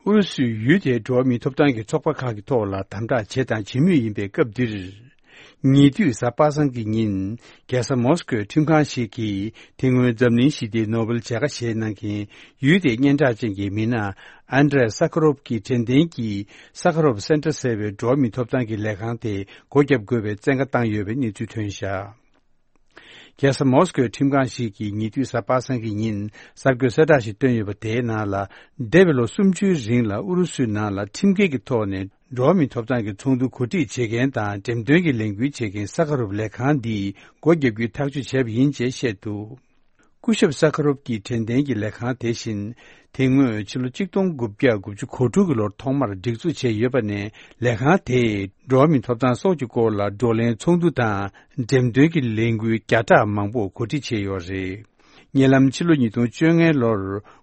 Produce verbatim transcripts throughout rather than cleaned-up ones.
ཨུ་རུ་སུས་ཡུལ་དེའི་འགྲོ་བ་མིའི་ཐོབ་ཐང་གི་ཚོགས་པ་ཁག་གི་ཐོག་ལ་དམ་དྲག་བྱས་དང་བྱེད་མུས་ཡིན་པའི་སྐབས་འདིར། ཉེ་དུས་གཟའ་པ་སངས་ཀྱི་ཉིན། རྒྱལ་ས་མོ་སི་ཀོའི་ཁྲིམས་ཁང་ཞིག་གིས་དེ་སྔོན་འཛམ་གླིང་ཞི་བདེའི་ནོ་བེལ་བྱ་དགའ་བཞེས་གནང་མཁན་ཡུལ་དེའི་སྙན་གྲགས་ཅན་གྱི་མི་སྣ་ཨན་ཌྲེ་ཡ་ས་ཁ་རོབ་ཀྱི་དྲན་རྟེན་གྱི་ས་ཁ་རོབ་སེན་ཊར་ཟེར་བའི་འགྲོ་བ་མིའི་ཐོབ་ཐང་གི་ལས་ཁང་དེ་སྒོ་བརྒྱབ་དགོས་པའི་བཙན་བཀའ་བཏང་ཡོད་པའི་གནས་ཚུལ་ཐོན་བཞག་རྒྱལ་ས་མོ་སི་ཀོའི་ཁྲིམས་ཁང་ཞིག་གིས་ཉེ་དུས་གཟའ་པ་སངས་ཀྱི་ཉིན་གསར་འགོད་གསལ་བསྒྲགས་ཤིག་བཏོན་ཡོད་པ་དེའི་ནང་ལ། འདས་པའི་ལོ་སུམ་ཅུའི་རིང་ལ་ཨུ་རུ་སུའི་ནང་ལ་ཁྲིམས་འགལ་གྱི་ཐོག་ནས་འགྲོ་བ་མིའི་ཐོབ་ཐང་གི་ཚོགས་འདུ་གོ་སྒྲིག་བྱེད་མཁན་དང་འགྲེམས་སྟོན་གྱི་ལས་འགུལ་བྱེད་མཁན་ས་ཁ་རུབ་ལས་ཁང་འདིས་སྒོ་བརྒྱབ་རྒྱུའི་ཐག་གཅོད་བྱས་པ་ཡིན་ཅེས་བཤད་འདུག་སྐུ་ཞབས་ས་ཁ་རོབ་ཀྱི་དྲན་རྟེན་གྱི་ལས་ཁང་དེ་བཞིན། དེ་སྔོན་ཕྱི་ལོ་གཅིག་སྟོང་དགུ་བརྒྱ་དགུ་བཅུ་གོ་དྲུག་གི་ལོར་ཐོག་མར་སྒྲིག་འཛུགས་བྱས་ཡོད་པ་ནས་ལས་ཁང་དེས་འགྲོ་བ་མིའི་ཐོབ་ཐང་སོགས་ཀྱི་སྐོར་ལ་བགྲོ་གླེང་ཚོགས་འདུ་དང་འགྲེམས་སྟོན་གྱི་ལས་འགུལ་བརྒྱ་ཕྲག་མང་པོ་གོ་སྒྲིག་བྱས་ཡོད་རེད། ཉེ་ལམ་ཕྱི་ལོ་ཉིས་སྟོང་བཅོ་ལྔའི་ལོར་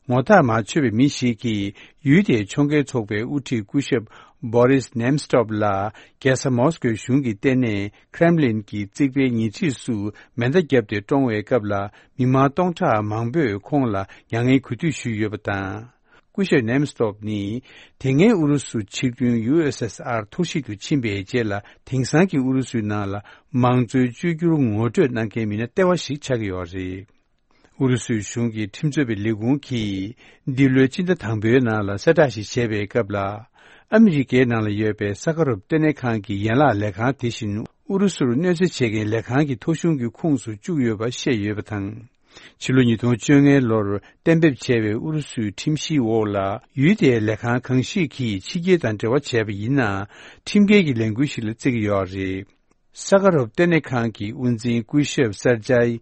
ངོ་ཐག་མ་ཆོད་པའི་མི་ཞིག་གིས་ཡུལ་དེའི་ཕྱོགས་འགལ་ཚོགས་པའི་དབུ་ཁྲིད་སྐུ་ཞབས་བོ་རིས་ནེམ་སི་ཊོབ་ལ་རྒྱལ་ས་མོ་སི་ཀོའི་གཞུང་གི་ལྟེ་གནས་ཁྲེམ་ལིན་གྱི་རྩིག་པའི་ཉེ་འཁྲིས་སུ་མེ་མདའ་བརྒྱབ་སྟེ་བཀྲོངས་པའི་སྐབས་ལ་མི་མང་སྟོང་ཕྲག་མང་པོས་ཁོང་ལ་མྱ་ངན་གུས་འདུད་ཞུས་ཡོད་པ་དང་། སྐུ་ཞབས་ནེམ་སི་ཊོབ་ནི་དེ་སྔའི་ཨུ་རུ་སུ་ཆིག་མཐུན་ཡུ་ཨེས་ཨེས་ཨར་འཐོར་བཤིག་ཏུ་ཕྱིན་པའི་རྗེས་ལ་དེང་སང་གི་ཨུ་རུ་སུའི་ནང་ལ་མང་གཙོའི་བཅོས་བསྒྱུར་ངོ་སྤྲོད་གནང་མཁན་མི་སྣ་ལྟེ་བ་ཞིག་ཆགས་ཀྱི་ཡོད་རེད། ཨུ་རུ་སུའི་གཞུང་གི་ཁྲིམས་རྩོད་པའི་ལས་ཁུངས་ཀྱིས་འདི་ལོའི་སྤྱི་ཟླ་དང་པོའི་ནང་ལ་གསལ་བསྒྲགས་ཤིག་བྱས་པའི་སྐབས་ལ། ཨ་མི་རི་ཀའི་ནང་ལ་ཡོད་པའི་ས་ཁ་རོབ་ལྟེ་གནས་ཁང་གི་ཡན་ལག་ལས་ཁང་དེ་བཞིན་ཨུ་རུ་སུར་གནོད་འཚེ་བྱེད་མཁན་ལས་ཁང་གི་ཐོ་གཞུང་གི་ཁོངས་སུ་བཅུག་ཡོད་པ་བཤད་ཡོད་པ་དང་། ཕྱི་ལོ་ཉིས་སྟོང་བཅོ་ལྔའི་ལོར་གཏན་འབེབས་བྱས་པའི་ཨུ་རུ་སུའི་ཁྲིམས་གཞིའི་འོག་ལ་ཡུལ་དེའི་ལས་ཁང་གང་ཞིག་གིས་ཕྱི་རྒྱལ་དང་འབྲེལ་བ་བྱས་པ་ཡིན་ན་ཁྲིམས་འགལ་གྱི་ལས་འགུལ་ཞིག་ལ་བརྩི་གི་ཡོད་རེད། ས་ཁ་རོབ་ལྟེ་གནས་ཁང་གི་དབུ་འཛིན་སྐུ་ཞབས་སར་ཇའི་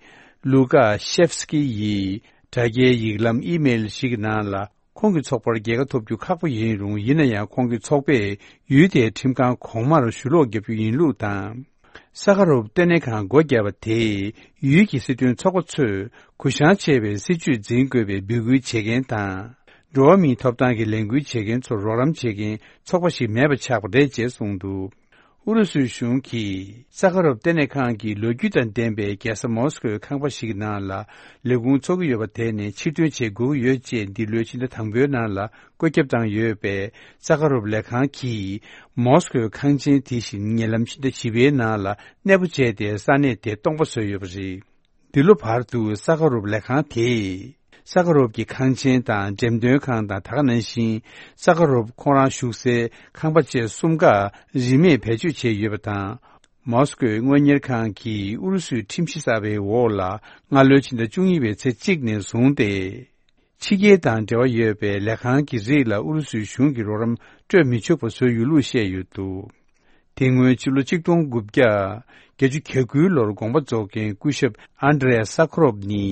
ལུ་ཀ་ཤེབ་སི་ཀི་ཡིས་དྲ་རྒྱའི་ཡིག་ལམ་ཨི་མེལ་ཞིག་གི་ནང་ལ་ཁོང་གི་ཚོགས་པར་རྒྱལ་ཁ་ཐོབ་རྒྱུ་ཁག་པོ་ཡིན་རུང་ཡིན་ན་ཡང་ཁོང་གི་ཚོགས་པས་ཡུལ་དེའི་ཁྲིམས་ཁང་གོང་མར་ཞུ་ལོག་བརྒྱབ་རྒྱུ་ཡིན་ལུགས་དང་། ས་ཁ་རོབ་ལྟེ་གནས་ཁང་སྒོ་བརྒྱབ་པ་དེས་ཡུལ་གྱི་སྲིད་དོན་ཚོགས་པ་ཚོས་གུ་བཤངས་ཆེ་བའི་སྲིད་བྱུས་འཛིན་དགོས་པའི་འབོད་སྐུལ་བྱེད་མཁན་དང་། འགྲོ་བ་མིའི་ཐོབ་ཐང་གི་ལས་འགུལ་བྱེད་མཁན་ཚོར་རོགས་རམ་བྱེད་མཁན་ཚོགས་པ་ཞིག་མེད་པ་ཆགས་པ་རེད་ཅེས་གསུངས་འདུག་ཨུ་རུ་སུའི་གཞུང་གིས་ས་ཁ་རོབ་ལྟེ་གནས་ཁང་གི་ལོ་རྒྱུས་དང་ལྡན་པའི་རྒྱལ་ས་མོ་སི་ཀོའི་ཁང་པ་ཞིག་ནང་ལ་ལས་ཁུངས་འཚོགས་ཀྱི་ཡོད་པ་དེ་ནས་ཕྱིར་ཐོན་བྱེད་དགོས་ཀྱི་ཡོད་ཅེས་འདི་ལོའི་ཕྱི་ཟླ་དང་པོའི་ནང་ལ་བཀོད་ཁྱབ་བཏང་ཡོད་པས་ས་ཁ་རོབ་ལས་ཁང་གིས་མོ་སི་ཀོའི་ཁང་ཆེན་དེ་བཞིན་ཉེ་ལམ་ཕྱི་ཟླ་བཞི་པའི་ནང་ལ་གནས་སྤོ་བྱས་ཏེ་ས་གནས་དེ་སྟོང་པ་བཟོས་ཡོད་པ་རེད། འདི་ལོ་བར་དུ་ས་ཁ་རོབ་ལས་ཁང་དེས་ས་ཁ་རོབ་ཀྱི་ཁང་ཆེན་དང་འགྲེམས་སྟོན་ཁང་དང་ད་ག་ནང་བཞིན་ས་ཁ་རོབ་ཁོང་རང་བཞུགས་སའི་ཁང་པ་བཅས་གསུམ་ཀ་རིན་མེད་བེད་སྤྱོད་བྱས་ཡོད་པ་དང་། མོ་སི་ཀོའི་དངོས་གཉེར་ཁང་གིས་ཨུ་རུ་སུའི་ཁྲིམས་གཞི་གསར་པའི་འོག་ལ་སྔ་ལོའི་ཕྱི་ཟླ་བཅུ་གཉིས་པའི་ཚེས་གཅིག་ནས་བཟུང་སྟེ། ཕྱི་རྒྱལ་དང་འབྲེལ་བ་ཡོད་པའི་ལས་ཁང་གི་རིགས་ལ་ཨུ་རུ་སུའི་གཞུང་གིས་རོགས་རམ་སྤྲོད་མི་ཆོག་པ་བཟོས་ཡོད་ལུགས་བཤད་ཡོད་འདུག་དེ་སྔོན་ཕྱི་ལོ་གཅིག་སྟོང་དགུ་བརྒྱ་བརྒྱད་ཅུ་གྱ་དགུའི་ལོར་དགོངས་པ་རྫོགས་མཁན་སྐུ་ཞབས་ཨན་ཌྲེ་ཡ་ས་ཁ་རོབ་ནི་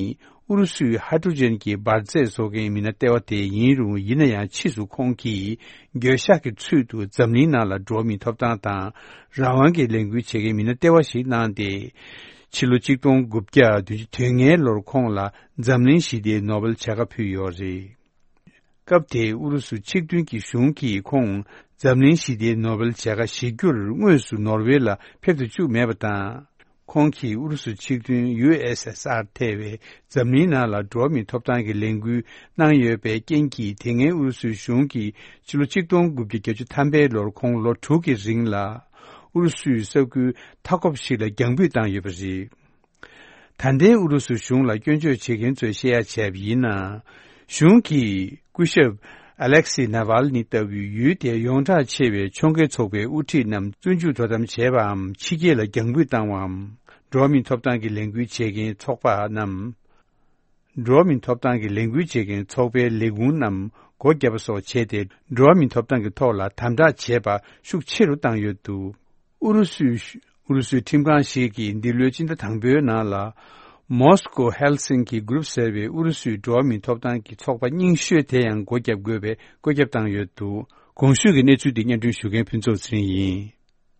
ཨུ་རུ་སུའི་ཧའི་ཌྲོ་ཇན་གྱི་འབར་རྫས་བཟོ་མཁན་མི་སྣ་ལྟེ་བ་དེ་ཡིན་རུང་ཡིན་ན་ཡང་ཕྱིས་སུ་ཁོང་གིས་འགྱོད་བཤགས་ཀྱི་ཚུལ་དུ་འཛམ་གླིང་ནང་ལ་འགྲོ་བ་མིའི་ཐོབ་ཐང་དང་རང་དབང་གི་ལས་འགུལ་བྱེད་མཁན་མི་སྣ་ལྟེ་བ་ཞིག་གནང་སྟེ། ཕྱི་ལོ་གཅིག་སྟོང་དགུ་བརྒྱ་བདུན་ཅུ་དོན་ལྔའི་ལོར་ཁོང་ལ་འཛམ་གླིང་ཞི་བདེའི་ནོ་བེལ་བྱ་དགའ་ཕུལ་ཡོད་རེད། སྐབས་དེའི་ཨུ་རུ་སུ་ཆིག་མཐུན་གྱི་གཞུང་གིས་ཁོང་འཛམ་གླིང་ཞི་བདེའི་ནོ་བེལ་བྱ་དགའ་བཞེས་རྒྱུར་དངོས་སུ་ནོར་ཝེ་ལ་ཕེབས་སུ་བཅུག་མེད་པ་དང་། ཁོང་གིས་ཨུ་རུ་སུ་ཆིག་མཐུན་ཡུ་ཨེས་ཨེས་ཨར་ཐེ་བའི་འཛམ་གླིང་ནང་ལ་འགྲོ་བ་མིའི་ཐོབ་ཐང་གི་ལས་འགུལ་གནང་ཡོད་པའི་རྐྱེན་གྱིས་དེ་སྔའི་ཨུ་རུ་སུའི་གཞུང་གིས་ཕྱི་ལོ་ཆིག་སྟོང་དགུ་བརྒྱ་བརྒྱད་ཅུ་ཐམ་པའི་ལོར་ཁོང་ལོ་དྲུག་གི་རིང་ལ་ཨུ་རུ་སུའི་ས་ཁུལ་མཐའ་འཁོབ་ཞིག་ལ་རྒྱང་འབུད་བཏང་ཡོད་པ་རེད། ད་ལྟའི་ཨུ་རུ་སུ་གཞུང་ལ་སྐྱོན་བརྗོད་བྱེད་མཁན་ཚོས་བཤད་ཡ་བྱས་པ་ཡིན་ན། གཞུང་གིས་སྐུ་ཞབས་ཨ་ལེག་སི་ནཱ་ཝལ་ནི་ལྟ་བུའི་ཡུལ་དེའི་ཡོངས་གྲགས་ཆེ་བའི་ཕྱོགས་འགལ་ཚོགས་པའི་དབུ་ཁྲིད་རྣམས་བཙོན་འཇུག་དོ་དམ་བྱས་པའམ་ཕྱི་རྒྱལ་ལ་རྒྱང་འབུད་བཏང་བའམ། འགྲོ་བ་མིའི་ཐོབ་ཐང་གི་ལས་འགུལ་བྱེད་མཁན་ཚོགས་པ་རྣམས། འགྲོ་བ་མིའི་ཐོབ་ཐང་གི་ལས་འགུལ་བྱེད་མཁན་ཚོགས་པའི་ལས་ཁུངས་རྣམས་སྒོ་བརྒྱབ་པ་སོགས་བྱས་ཏེ་འགྲོ་བ་མིའི་ཐོབ་ཐང་གི་ཐོག་ལ་དམ་དྲག་བྱས་པ་ཤུགས་ཆེ་རུ་བཏང་ཡོད་འདུག་ཨུ་རུ་སུའི་ཨུ་རུ་སུའི་ཁྲིམས་ཁང་ཞིག་གིས་འདི་ལོའི་ཕྱི་ཟླ་དང་པོའི་ནང་ལ། མོ་སི་ཀོ་ཧེལ་སིན་ཀི་གུ་རུབ་ཟེར་བའི་ཨུ་རུ་སུའི་འགྲོ་བ་མིའི་ཐོབ་ཐང་གི་ཚོགས་པ་རྙིང་ཤོས་དེ་ཡང་སྒོ་བརྒྱབ་དགོས་པའི་བཀོད་ཁྱབ་བཏང་ཡོད་འདུག་གོང་ཞུས་ཀྱི་གནས་ཚུལ་འདི་སྙན་སྒྲོན་ཞུ་མཁན་ཕུན་ཚོགས་ཚེ་རིང་ཡིན།